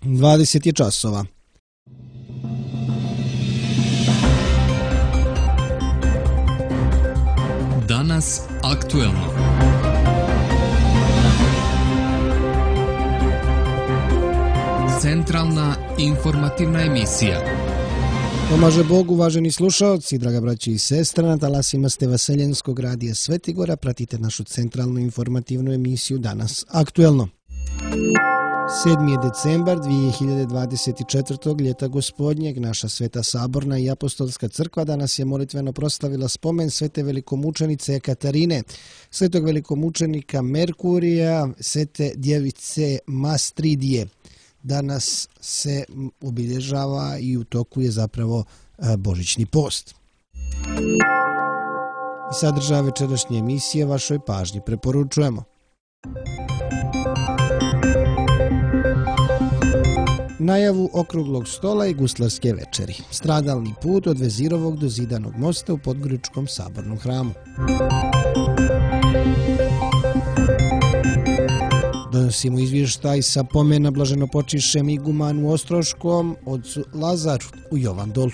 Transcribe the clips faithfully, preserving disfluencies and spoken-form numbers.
dvadeset je časova. Danas aktuelno. Centralna informativna emisija. Pomaže Bog, uvaženi slušaoci, draga braći i sestre, na talasima ste Vaseljenskog radija Svetigora, pratite našu centralnu informativnu emisiju Danas aktuelno. sedmi je decembar dvije hiljade dvadeset četvrtog. ljeta gospodnjeg. Naša Sveta Saborna i Apostolska crkva danas je molitveno proslavila spomen svete velikomučenice Ekaterine, svetog velikomučenika Merkurija, svete djevice Mastridije. Danas se obilježava i u toku je zapravo božićni post. I sadržaj večerašnje emisije vašoj pažnji preporučujemo. Najavu okruglog stola i guslarske večeri. Stradalni put od Vezirovog do Zidanog mosta u Podgoričkom sabornom hramu. Donosimo izvještaj sa pomena blaženopočišćem igumanu Ostroškom, ocu Lazaru u Jovandolu.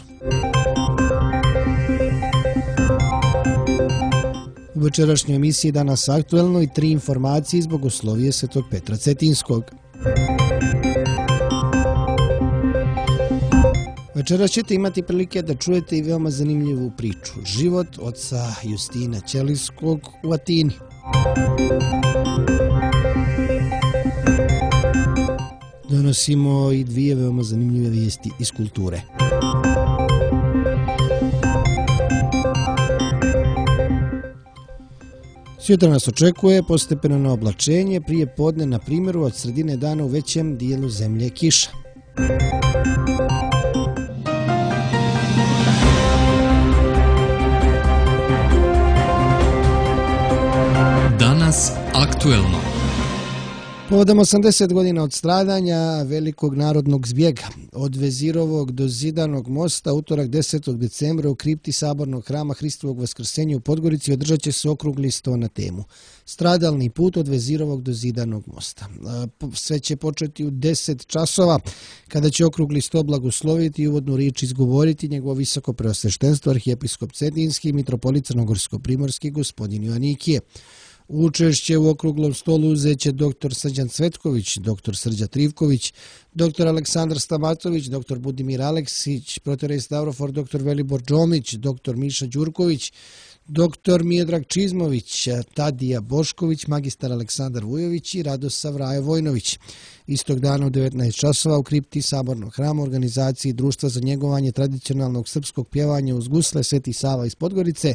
U večerašnjoj emisiji Danas aktuelno i tri informacije iz Bogoslovije Svetog Petra Cetinskog. Večeras ćete imati prilike da čujete i veoma zanimljivu priču. Život oca Justina Ćelijskog u Atini. Donosimo i dvije veoma zanimljive vijesti iz kulture. Sutra nas očekuje postepeno oblačenje, prije podne na primjeru od sredine dana u većem dijelu zemlje kiša. Danas aktuelno. Povodom osamdeset godina od stradanja velikog narodnog zbjega od Vezirovog do Zidanog mosta, utorak desetog decembra u kripti Sabornog hrama Hristovog Vaskrsenja u Podgorici održat će se okrugli sto na temu Stradalni put od Vezirovog do Zidanog mosta. Sve će početi u deset časova, kada će okrugli sto blagosloviti i uvodnu riječ izgovoriti njegovo visoko preosveštenstvo arhijepiskop Cetinski i mitropolit Crnogorsko-primorski gospodin Joanikije. Učešće u okruglom stolu uzet će doktor Srđan Cvetković, doktor Srđa Trivković, doktor Aleksandar Stamatović, doktor Budimir Aleksić, protorej Stavrofor, doktor Velibor Džomić, doktor Miša Đurković, doktor Mijedrag Čizmović, Tadija Bošković, magistar Aleksandar Vujović i Radosav Vrajo Vojnović. Istog dana u devetnaest časova u kripti Sabornog hrama organizaciji Društva za njegovanje tradicionalnog srpskog pjevanja uz gusle Sveti Sava iz Podgorice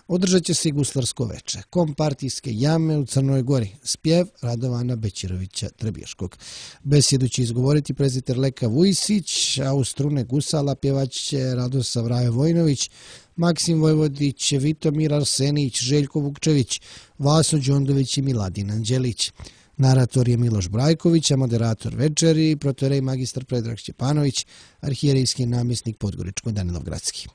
održat će se i guslarsko veče. Kompartijske jame u Crnoj Gori. Spjev Radovana Bećirovića Trebješkog. Besjedu će izgovoriti preziter Leka Vujsić, a u strune gusala pjevaće Radosav Vrajo Vojnović, Maksim Vojvodić, Vitomir Arsenić, Željko Vukčević, Vaso Đondović i Miladin Anđelić. Narator je Miloš Brajković, a moderator večeri protorej magistar Predrag Šćepanović, arhijerejski namjesnik Podgoričko-Danilovgradski.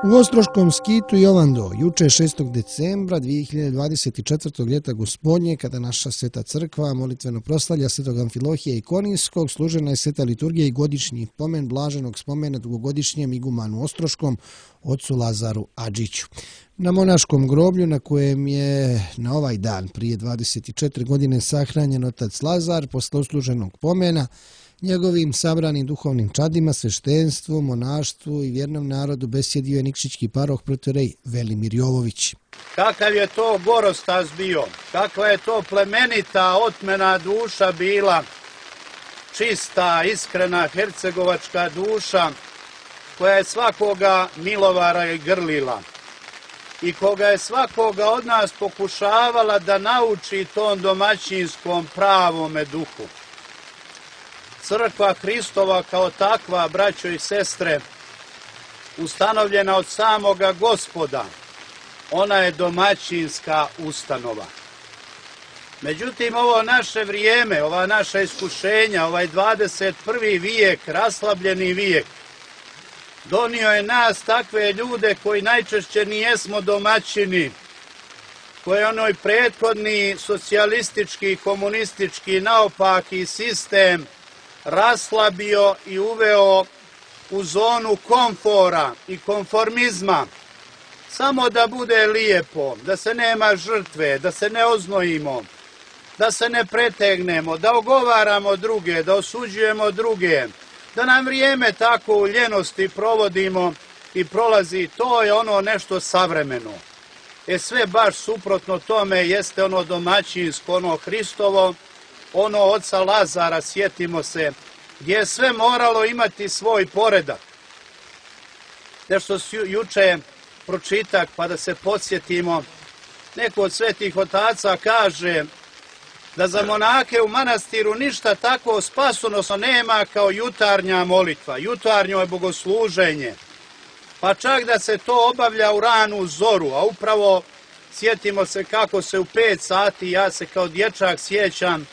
U Ostroškom skitu Jovando, juče šestog decembra dvije hiljade dvadeset četvrtog. ljeta gospodnje, kada naša Sveta crkva molitveno proslavlja Svetog Amfilohija Ikoninskog, služena je sveta liturgija i godišnji pomen blaženog spomena dugogodišnjem igumanu Ostroškom, ocu Lazaru Adžiću. Na monaškom groblju, na kojem je na ovaj dan prije dvadeset četiri godine sahranjen otac Lazar, posle usluženog pomena, njegovim sabranim duhovnim čadima, sveštenstvu, monaštvu i vjernom narodu besjedio je nikšićki paroh protorej Velimir Jovović. Kakav je to gorostas bio, kakva je to plemenita otmena duša bila, čista, iskrena hercegovačka duša, koja je svakoga milovara i grlila i koga je svakoga od nas pokušavala da nauči tom domaćinskom pravome duhu. Crkva Hristova kao takva, braćo i sestre, ustanovljena od samoga Gospoda, ona je domaćinska ustanova. Međutim, ovo naše vrijeme, ova naša iskušenja, ovaj dvadeset prvi vijek, raslabljeni vijek, donio je nas takve ljude koji najčešće nijesmo domaćini, koje je onoj prethodni socijalistički, komunistički, naopaki sistem raslabio i uveo u zonu komfora i konformizma. Samo da bude lijepo, da se nema žrtve, da se ne oznojimo, da se ne pretegnemo, da ogovaramo druge, da osuđujemo druge, da nam vrijeme tako u ljenosti provodimo i prolazi. To je ono nešto savremeno. E sve baš suprotno tome jeste ono domaćinsko, ono Hristovo, ono oca Lazara, sjetimo se, gdje je sve moralo imati svoj poredak. Nešto juče pročitak, pa da se podsjetimo, neko od svetih otaca kaže da za monake u manastiru ništa tako spasonosno nema kao jutarnja molitva. Jutarnjo je bogosluženje. Pa čak da se to obavlja u ranu zoru, a upravo sjetimo se kako se u pet sati, ja se kao dječak sjećam,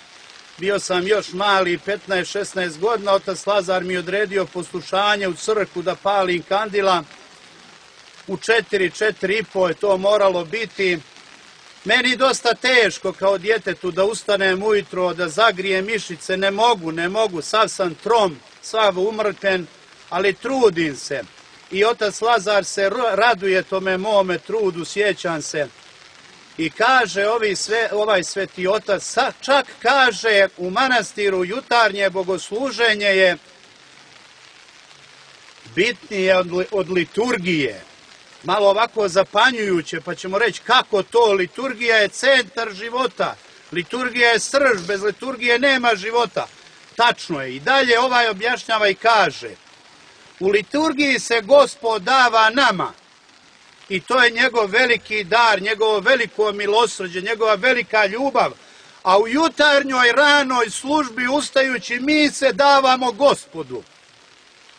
bio sam još mali, petnaest šesnaest godina, otac Lazar mi odredio poslušanje u crkvu da palim kandila. U četiri, četiri i po je to moralo biti. Meni dosta teško kao djetetu da ustanem ujutro, da zagrijem mišice, ne mogu, ne mogu, sav sam trom, sav umrten, ali trudim se. I otac Lazar se raduje tome mome trudu, sjećam se. I kaže ovi sve, ovaj sveti otac, čak kaže u manastiru jutarnje bogosluženje je bitnije od, od liturgije. Malo ovako zapanjujuće, pa ćemo reći kako to, liturgija je centar života, liturgija je srž, bez liturgije nema života. Tačno je. I dalje ovaj objašnjava i kaže, u liturgiji se Gospod dava nama i to je njegov veliki dar, njegovo veliko milosrđe, njegova velika ljubav, a u jutarnjoj ranoj službi ustajući mi se davamo Gospodu.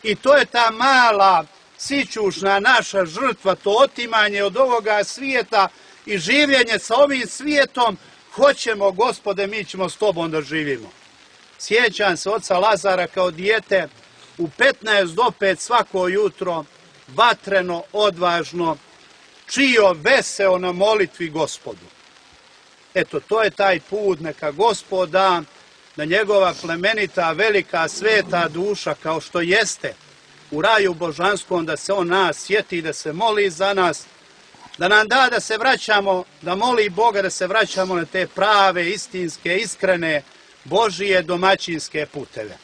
I to je ta mala sićušna naša žrtva, to otimanje od ovoga svijeta i življenje sa ovim svijetom. Hoćemo, Gospode, mi ćemo s tobom da živimo. Sjećam se oca Lazara kao dijete, u petnaest do pet svako jutro, vatreno, odvažno, čio veseo na molitvi Gospodu. Eto, to je taj put, neka Gospod da, da njegova plemenita, velika, sveta duša, kao što jeste, u raju božanskom, da se on nas sjeti, da se moli za nas, da nam da da se vraćamo, da moli Boga da se vraćamo na te prave, istinske, iskrene, Božije domaćinske puteve.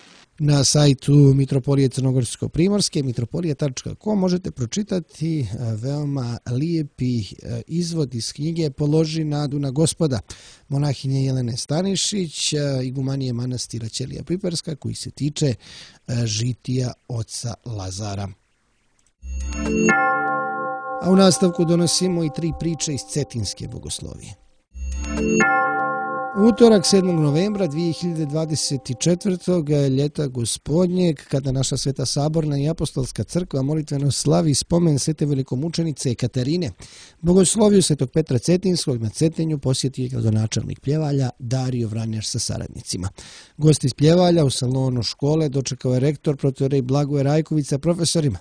Na sajtu Mitropolije Crnogorsko-Primorske, mitropolija tačka com, možete pročitati veoma lijepi izvod iz knjige Položi nadu na Gospoda monahinje Jelene Stanišić, igumanije manastira Ćelija Priperska, koji se tiče žitija oca Lazara. A u nastavku donosimo i tri priče iz Cetinske bogoslovije. Utorak sedmog novembra dvije hiljade dvadeset četvrtog ljeta gospodnjeg, kada naša Sveta Saborna i Apostolska crkva molitveno slavi spomen svete velikomučenice Katarine, bogosloviju svetog Petra Cetinskog na Cetinju posjetio je gradonačelnik Pljevalja Dario Vranjaš sa saradnicima. Gost iz Pljevalja u salonu škole dočekao je rektor protorej Blagoje Rajković sa profesorima.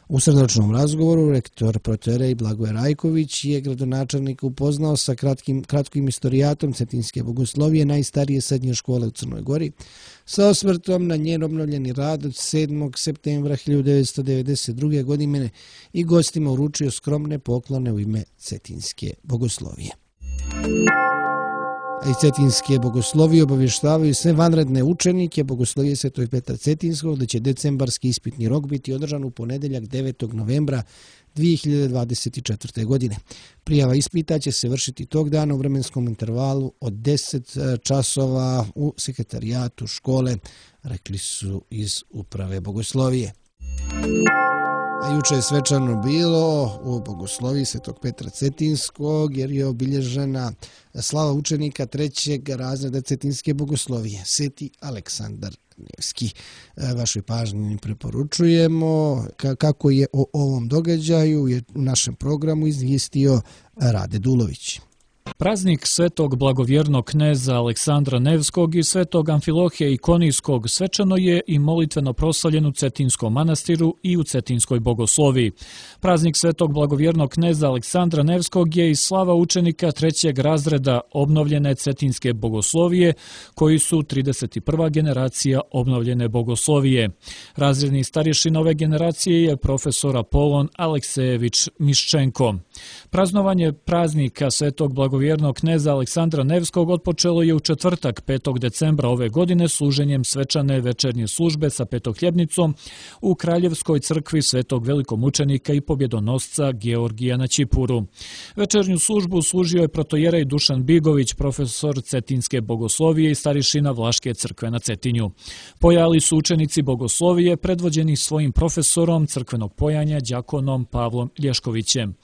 U srdačnom razgovoru rektor protorej Blagoje Rajković je gradonačelnika upoznao sa kratkim, kratkim istorijatom Cetinske bogoslovije, najstarije srednje škole u Crnoj Gori, sa osvrtom na njen obnovljeni rad od sedmog septembra hiljadu devetsto devedeset druge. godine i gostima uručio skromne poklone u ime Cetinske bogoslovije. A iz Cetinske bogoslovije obavještavaju sve vanredne učenike bogoslovije svetog Petra Cetinskog da će decembarski ispitni rok biti održan u ponedeljak devetog novembra dvije hiljade dvadeset četvrte. godine. Prijava ispita će se vršiti tog dana u vremenskom intervalu od deset časova u sekretarijatu škole, rekli su iz uprave bogoslovije. A juče je svečano bilo u bogosloviji svetog Petra Cetinskog jer je obilježena slava učenika trećeg razreda Cetinske bogoslovije, Sveti Aleksandar Nevski. Vašoj pažnji preporučujemo kako je o ovom događaju u našem programu izvijestio Rade Dulović. Praznik svetog blagovjernog kneza Aleksandra Nevskog i svetog Amfilohija Ikonijskog svečano je i molitveno proslavljen u Cetinskom manastiru i u Cetinskoj bogosloviji. Praznik svetog blagovjernog kneza Aleksandra Nevskog je i slava učenika trećeg razreda obnovljene Cetinske bogoslovije, koji su trideset prva generacija obnovljene bogoslovije. Razredni starješin ove generacije je profesor Apolon Aleksejević Miščenko. Praznovanje praznika svetog blagovjernog kneza Aleksandra Nevskog otpočelo je u četvrtak petog decembra ove godine služenjem svečane večernje službe sa petohljebnicom u Kraljevskoj crkvi svetog velikomučenika i pobjedonosca Georgija na Ćipuru. Večernju službu služio je protojerej Dušan Bigović, profesor Cetinske bogoslovije i starješina Vlaške crkve na Cetinju. Pojali su učenici bogoslovije predvođeni svojim profesorom crkvenog pojanja đakonom Pavlom Lješkovićem.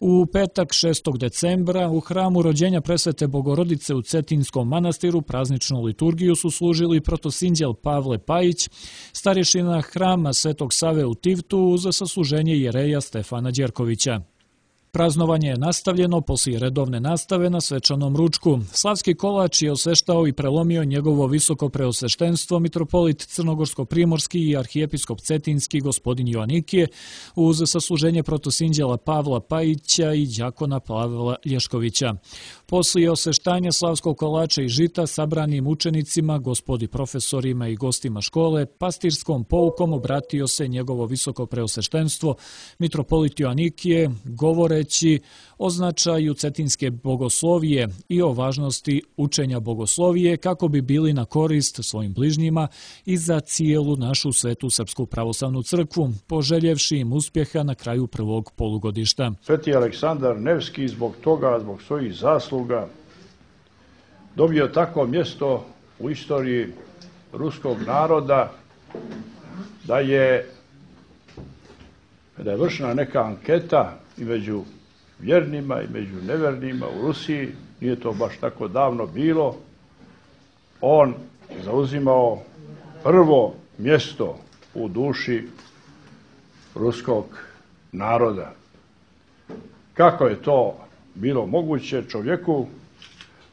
U petak šestog decembra u hramu rođenja presvete Bogorodice u Cetinskom manastiru prazničnu liturgiju su služili protosinđel Pavle Pajić, starješina hrama Svetog Save u Tivtu uz sasluženje jereja Stefana Đerkovića. Praznovanje je nastavljeno poslije redovne nastave na svečanom ručku. Slavski kolač je osveštao i prelomio njegovo visoko preosveštenstvo mitropolit Crnogorsko-primorski i arhijepiskop Cetinski gospodin Joanikije uz sasluženje protosinđela Pavla Pajića i đakona Pavla Lješkovića. Poslije osveštanja slavskog kolača i žita sabranim učenicima, gospodi profesorima i gostima škole, pastirskom poukom obratio se njegovo visoko preosveštenstvo mitropolit Joanikije, govore o značaju Cetinske bogoslovije i o važnosti učenja bogoslovije kako bi bili na korist svojim bližnjima i za cijelu našu svetu Srpsku pravoslavnu crkvu, poželjevši im uspjeha na kraju prvog polugodišta. Sveti Aleksandar Nevski zbog toga, zbog svojih zasluga, dobio takvo mjesto u istoriji ruskog naroda da je, kada je vršena neka anketa i među vjernima i među nevjernima u Rusiji, nije to baš tako davno bilo, on zauzimao prvo mjesto u duši ruskog naroda. Kako je to bilo moguće čovjeku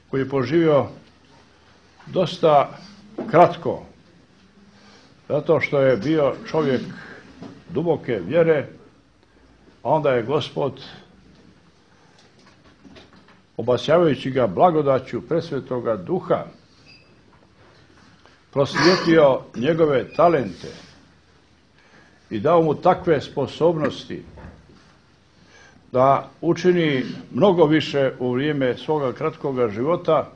koji je poživio dosta kratko, zato što je bio čovjek duboke vjere, a onda je Gospod, obasjavajući ga blagodaću presvetoga duha, prosvijetlio njegove talente i dao mu takve sposobnosti da učini mnogo više u vrijeme svoga kratkoga života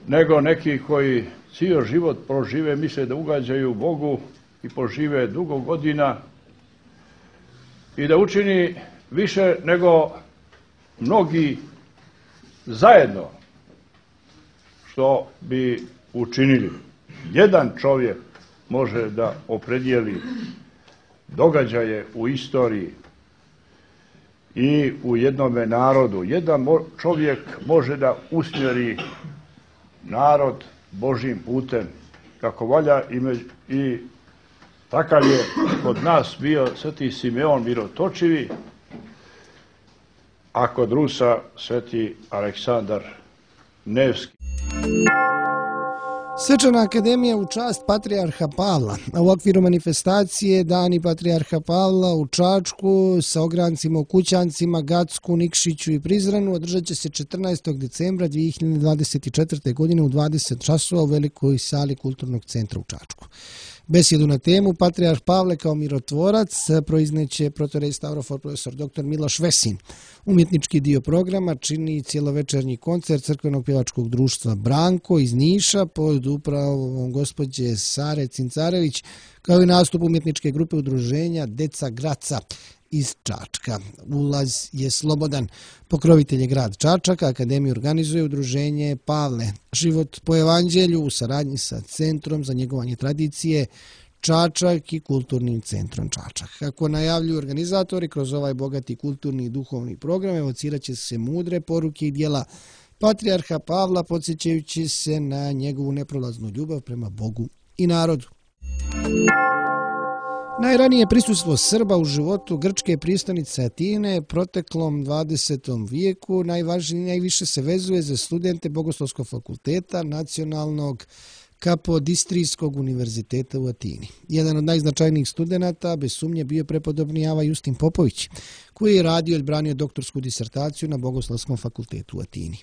nego neki koji cijeli život prožive, misle da ugađaju Bogu i požive dugo godina i da učini više nego mnogi zajedno što bi učinili. Jedan čovjek može da opredijeli događaje u istoriji i u jednome narodu. Jedan čovjek može da usmjeri narod Božjim putem kako valja i, i takav je kod nas bio sveti Simeon Mirotočivi, a kod Rusa sveti Aleksandar Nevski. Svečana akademija u čast Patrijarha Pavla. U okviru manifestacije Dani Patrijarha Pavla u Čačku sa ograncima u Kućancima, Gacku, Nikšiću i Prizrenu održat će se četrnaestog decembra dvije hiljade dvadeset četvrte. godine u dvadeset časova u velikoj sali Kulturnog centra u Čačku. Besjedu na temu Patrijarh Pavle kao mirotvorac proizneće protorej Stavrofor profesor doktor Miloš Vesin. Umjetnički dio programa čini cjelovečernji koncert crkvenog pjevačkog društva Branko iz Niša pod upravom gospođe Sare Cincarević, kao i nastup umjetničke grupe udruženja Deca Graca iz Čačka. Ulaz je slobodan. Pokrovitelj je grad Čačak, akademiju organizuje udruženje Pavle. Život po evanđelju u saradnji sa Centrom za njegovanje tradicije Čačak i Kulturnim centrom Čačak. Kako najavljuju organizatori, kroz ovaj bogati kulturni i duhovni program evocirat će se mudre poruke i djela Patrijarha Pavla, podsjećajući se na njegovu neprolaznu ljubav prema Bogu i narodu. Najranije prisustvo Srba u životu grčke prijestolnice Atine proteklom dvadesetom vijeku najvažnije najviše se vezuje za studente Bogoslovskog fakulteta Nacionalnog Kapodistrijskog univerziteta u Atini. Jedan od najznačajnijih studenata bez sumnje bio prepodobni Ava Justin Popović, koji je radio i odbranio doktorsku disertaciju na Bogoslovskom fakultetu u Atini.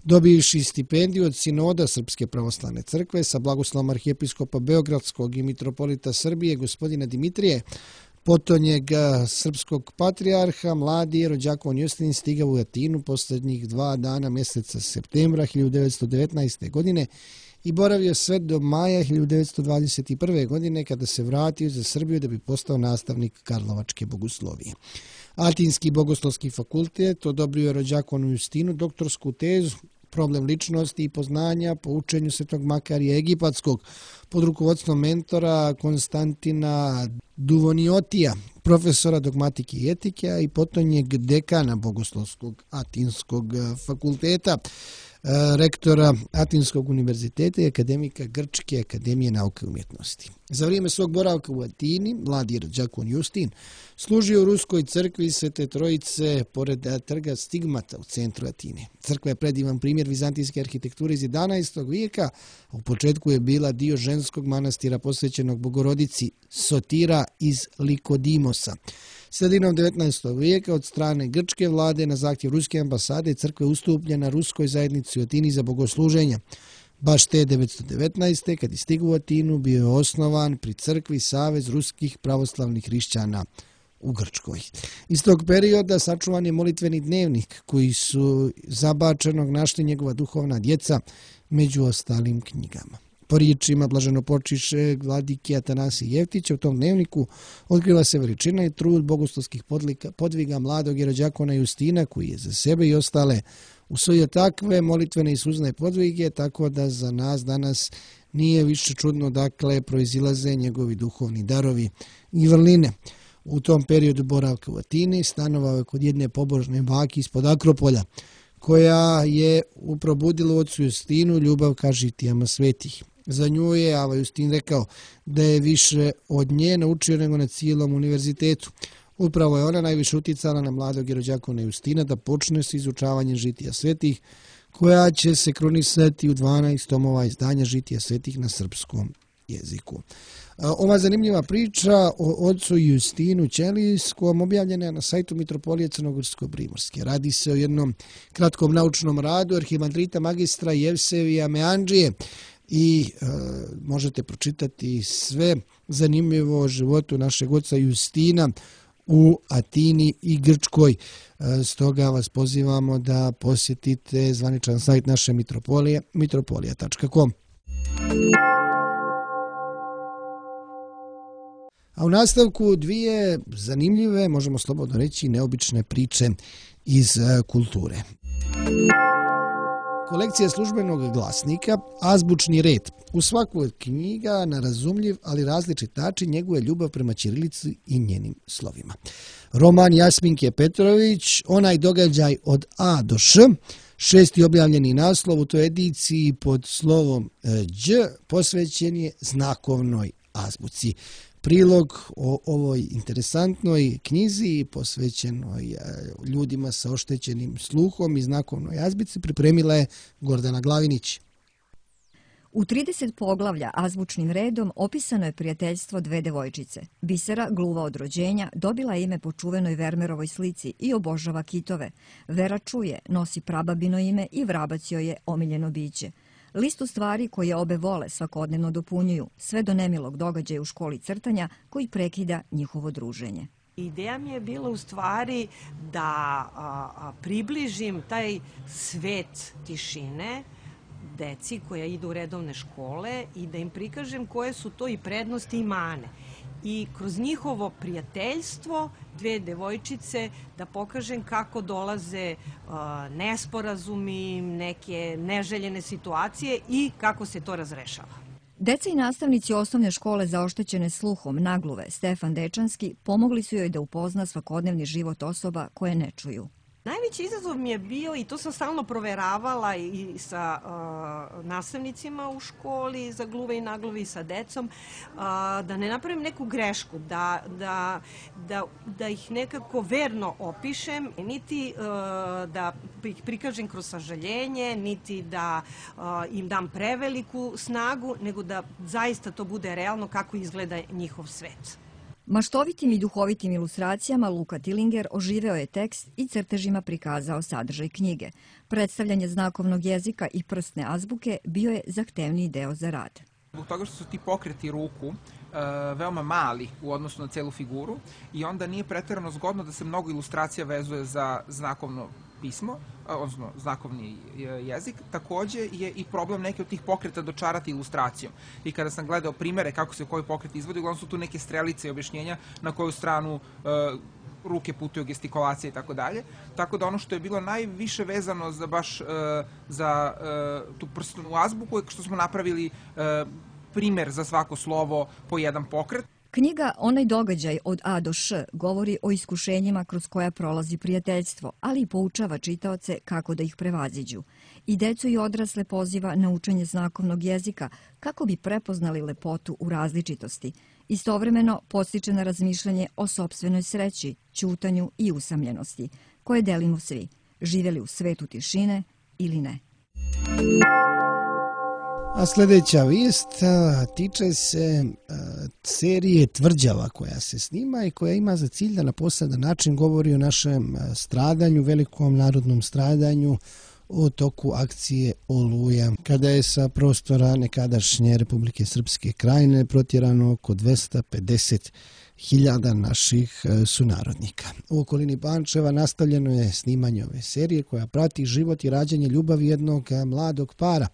Dobivši stipendiju od Sinoda Srpske pravoslavne crkve sa blagoslovom arhijepiskopa Beogradskog i mitropolita Srbije gospodina Dimitrije, potonjeg srpskog patrijarha, mladi rođakon Justin stigao u Atinu posljednjih dva dana mjeseca septembra hiljadu devetsto devetnaeste. godine i boravio sve do maja hiljadu devetsto dvadeset prve. godine kada se vratio za Srbiju da bi postao nastavnik Karlovačke bogoslovije. Atinski bogoslovski fakultet odobrio je rođakonu Justinu doktorsku tezu Problem ličnosti i poznanja po učenju Svetog Makarija Egipatskog pod rukovodstvom mentora Konstantina Duvoniotija, profesora dogmatike i etike, a i potonjeg dekana Bogoslovskog Atinskog fakulteta, rektora Atinskog univerziteta i akademika Grčke akademije nauke i umjetnosti. Za vrijeme svog boravka u Atini, mladi rođakon Justin služio u Ruskoj crkvi Svete Trojice pored trga Stigmata u centru Atine. Crkva je predivan primjer vizantijske arhitekture iz jedanaestog vijeka, a u početku je bila dio ženskog manastira posvećenog Bogorodici Sotira iz Likodimosa. Sredinom devetnaestog vijeka od strane grčke vlade na zahtjev ruske ambasade crkva je ustupljena ruskoj zajednici u Atini za bogosluženja. Baš te devetsto devetnaeste. kad je stigao u Atinu bio je osnovan pri crkvi Savez ruskih pravoslavnih hrišćana u Grčkoj. Iz tog perioda sačuvan je molitveni dnevnik koji su zabačenog našli njegova duhovna djeca među ostalim knjigama. Po riječima blaženopočišćeg vladike Atanasija Jeftića u tom dnevniku otkriva se veličina i trud bogoslovskih podviga mladog rođakona Justina koji je za sebe i ostale usvojio takve molitvene i suzne podvige, tako da za nas danas nije više čudno dakle proizilaze njegovi duhovni darovi i vrline. U tom periodu boravka u Atini stanovao je kod jedne pobožne bake ispod Akropolja, koja je probudila u ocu Justinu ljubav ka žitijama svetih. Za nju je Ava Justin rekao da je više od nje naučio nego na cijelom univerzitetu. Upravo je ona najviše uticala na mladog rođakona Justina da počne s izučavanjem žitija svetih, koja će se krunisati u dvanaest tomova izdanja žitija svetih na srpskom jeziku. Ova zanimljiva priča o ocu Justinu Ćelijskom objavljena je na sajtu Mitropolije Crnogorsko-Primorske. Radi se o jednom kratkom naučnom radu arhimandrita magistra Jevsevija Meandžije i e, možete pročitati sve zanimljivo o životu našeg oca Justina u Atini i Grčkoj. E, stoga vas pozivamo da posjetite zvaničan sajt naše Mitropolije, mitropolija tačka com. A u nastavku dvije zanimljive, možemo slobodno reći, neobične priče iz kulture. Kolekcija službenog glasnika Azbučni red. U svakoj od knjiga na razumljiv, ali različit način njeguje ljubav prema ćirilici i njenim slovima. Roman Jasminke Petrović, Onaj događaj od A do Š, šesti objavljeni naslov u toj ediciji pod slovom Đ, posvećen je znakovnoj azbuci. Prilog o ovoj interesantnoj knjizi posvećenoj ljudima sa oštećenim sluhom i znakovnoj azbuci pripremila je Gordana Glavinić. U trideset poglavlja azbučnim redom opisano je prijateljstvo dve devojčice. Bisera, gluva od rođenja, dobila je ime po čuvenoj Vermerovoj slici i obožava kitove. Vera čuje, nosi prababino ime i vrabac joj je omiljeno biće. Listu stvari koje obe vole svakodnevno dopunjuju, sve do nemilog događaja u školi crtanja koji prekida njihovo druženje. Ideja mi je bila u stvari da a, a, približim taj svet tišine deci koja idu u redovne škole i da im prikažem koje su to i prednosti i mane. I kroz njihovo prijateljstvo dve devojčice da pokažem kako dolaze uh, nesporazumi, neke neželjene situacije i kako se to razrešava. Deca i nastavnici osnovne škole za oštećene sluhom Nagluve Stefan Dečanski pomogli su joj da upozna svakodnevni život osoba koje ne čuju. Najveći izazov mi je bio, i to sam stalno proveravala i sa uh, nastavnicima u školi za gluve i naglove i sa decom, uh, da ne napravim neku grešku, da, da, da, da ih nekako verno opišem, niti uh, da ih prikažem kroz sažaljenje, niti da uh, im dam preveliku snagu, nego da zaista to bude realno kako izgleda njihov svet. Maštovitim i duhovitim ilustracijama Luka Tillinger oživeo je tekst i crtežima prikazao sadržaj knjige. Predstavljanje znakovnog jezika i prstne azbuke bio je zahtevniji deo za rad. Zbog toga što su ti pokreti ruku uh, veoma mali u odnosu na celu figuru i onda nije preterano zgodno da se mnogo ilustracija vezuje za znakovno pismo, odnosno znakovni jezik. Takođe je i problem neke od tih pokreta dočarati ilustracijom. I kada sam gledao primere kako se koji pokret izvodi, uglavnom su tu neke strelice i objašnjenja na koju stranu uh, ruke putuju, gestikulacije i tako dalje. Tako da ono što je bilo najviše vezano za baš uh, za uh, tu prstnu azbuku je što smo napravili uh, primer za svako slovo po jedan pokret. Knjiga Onaj događaj od A do Š govori o iskušenjima kroz koja prolazi prijateljstvo, ali i poučava čitaoce kako da ih prevaziđu. I decu i odrasle poziva na učenje znakovnog jezika kako bi prepoznali lepotu u različitosti. Istovremeno podstiče na razmišljanje o sopstvenoj sreći, ćutanju i usamljenosti, koje delimo svi, živjeli u svetu tišine ili ne. A sljedeća vijest tiče se serije Tvrđava koja se snima i koja ima za cilj da na poseban način govori o našem stradanju, velikom narodnom stradanju u toku akcije Oluja, kada je sa prostora nekadašnje Republike Srpske Krajine protjerano oko dvesta pedeset hiljada naših sunarodnika. U okolini Pančeva nastavljeno je snimanje ove serije koja prati život i rađanje ljubavi jednog mladog para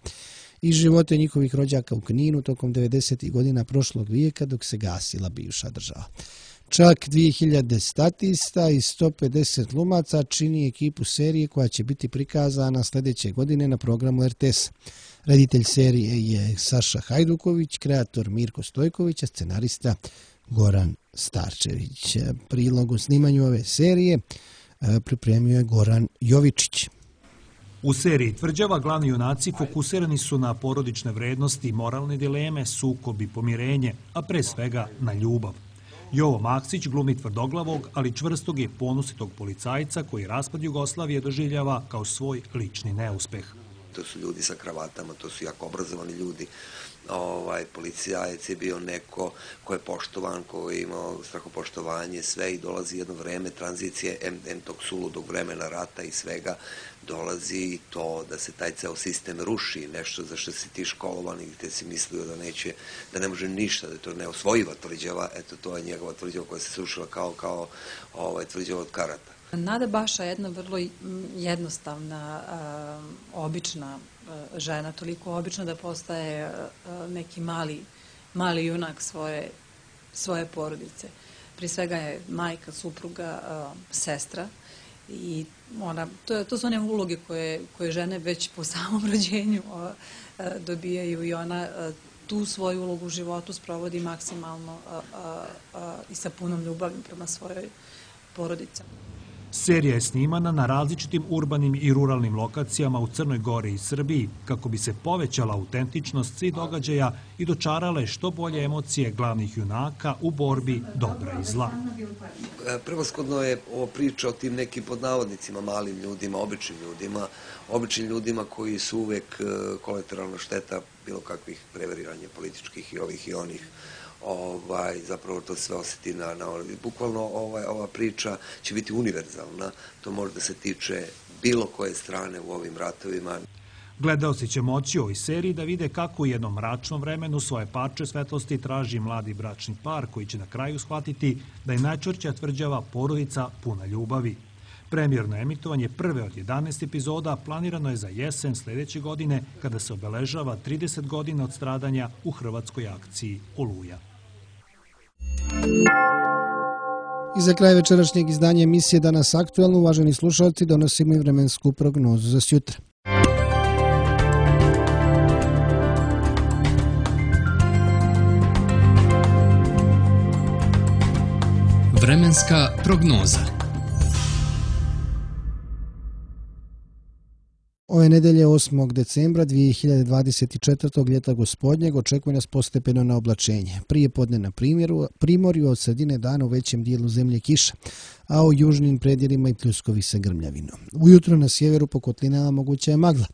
i živote njihovih rođaka u Kninu tokom devedesetih godina prošlog vijeka dok se gasila bivša država. Čak dvije hiljade statista i sto pedeset glumaca čini ekipu serije koja će biti prikazana sljedeće godine na programu R T S. Reditelj serije je Saša Hajduković, kreator Mirko Stojković, a scenarista Goran Starčević. Prilog o snimanju ove serije pripremio je Goran Jovičić. U seriji Tvrđava glavni junaci fokusirani su na porodične vrednosti, moralne dileme, sukob i pomirenje, a pre svega na ljubav. Jovo Maksić glumi tvrdoglavog, ali čvrstog i ponositog policajca koji raspad Jugoslavije doživljava kao svoj lični neuspeh. To su ljudi sa kravatama, to su jako obrazovani ljudi. Ovaj, policajac je bio neko ko je poštovan, ko je imao strahopoštovanje, sve i dolazi jedno vreme tranzicije, em, em tog suludog vremena rata i svega, dolazi to da se taj ceo sistem ruši, nešto za što si ti školovan i gde si mislio da neće, da ne može ništa, da je to neosvojiva Tvrđava, eto to je njegova Tvrđava koja se srušila kao, kao ovaj, Tvrđava od karata. Nada Baša je jedna vrlo jednostavna, obična žena, toliko obična da postaje neki mali, mali junak svoje, svoje porodice. Prije svega je majka, supruga, sestra i ona, to, to su one uloge koje, koje žene već po samom rođenju dobijaju i ona tu svoju ulogu u životu sprovodi maksimalno i sa punom ljubavi prema svojoj porodici. Serija je snimana na različitim urbanim i ruralnim lokacijama u Crnoj Gori i Srbiji kako bi se povećala autentičnost svih događaja i dočarale što bolje emocije glavnih junaka u borbi dobra i zla. Prevashodno je ovo priča o tim nekim podnavodnicima, malim ljudima, običnim ljudima, običnim ljudima koji su uvek kolateralna šteta bilo kakvih preveriranja političkih i ovih i onih. Ovaj, zapravo to sve osjeti na, na bukvalno ovaj, ova priča će biti univerzalna, to može da se tiče bilo koje strane u ovim ratovima. Gledaoci će moći u ovoj seriji da vide kako u jednom mračnom vremenu svoje parče svetlosti traži mladi bračni par koji će na kraju shvatiti da je najčvršća tvrđava porodica puna ljubavi. Premijerno emitovanje prve od jedanaest epizoda planirano je za jesen sljedeće godine kada se obeležava trideset godina od stradanja u hrvatskoj akciji Oluja. I za kraj večerašnjeg izdanja emisije Danas aktuelno, uvaženi slušalci, donosimo i vremensku prognozu za sjutra. Vremenska prognoza. Ove nedelje osmog decembra dvije hiljade dvadeset četvrtog ljeta gospodnjeg očekuje nas postepeno na oblačenje. Prije podne na primjeru, primorju od sredine dana u većem dijelu zemlje kiša, a u južnim predjelima i pljuskovi sa grmljavinom. Ujutro na sjeveru po kotlinama moguća je magla.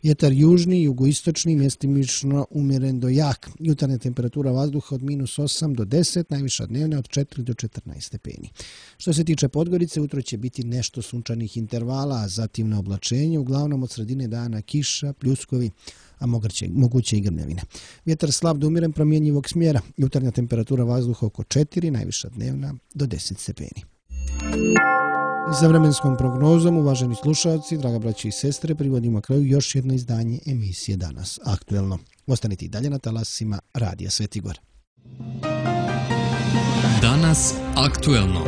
Vjetar južni i jugoistočni mjestimično umjeren do jak. Jutarnja temperatura vazduha od minus osam do deset, najviša dnevna od četiri do četrnaest stepeni. Što se tiče Podgorice, utro će biti nešto sunčanih intervala, a zatim na oblačenje, uglavnom od sredine dana kiša, pljuskovi, a moguće i grmljavine. Vjetar slab do umjeren promjenjivog smjera. Jutarnja temperatura vazduha oko četiri, najviša dnevna do deset stepeni. I za vremenskom prognozom, uvaženi slušalci, draga braći i sestre, privodimo kraju još jedno izdanje emisije Danas aktuelno. Ostanite i dalje na talasima Radija Svetigor. Danas aktuelno.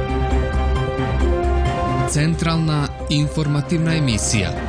Centralna informativna emisija.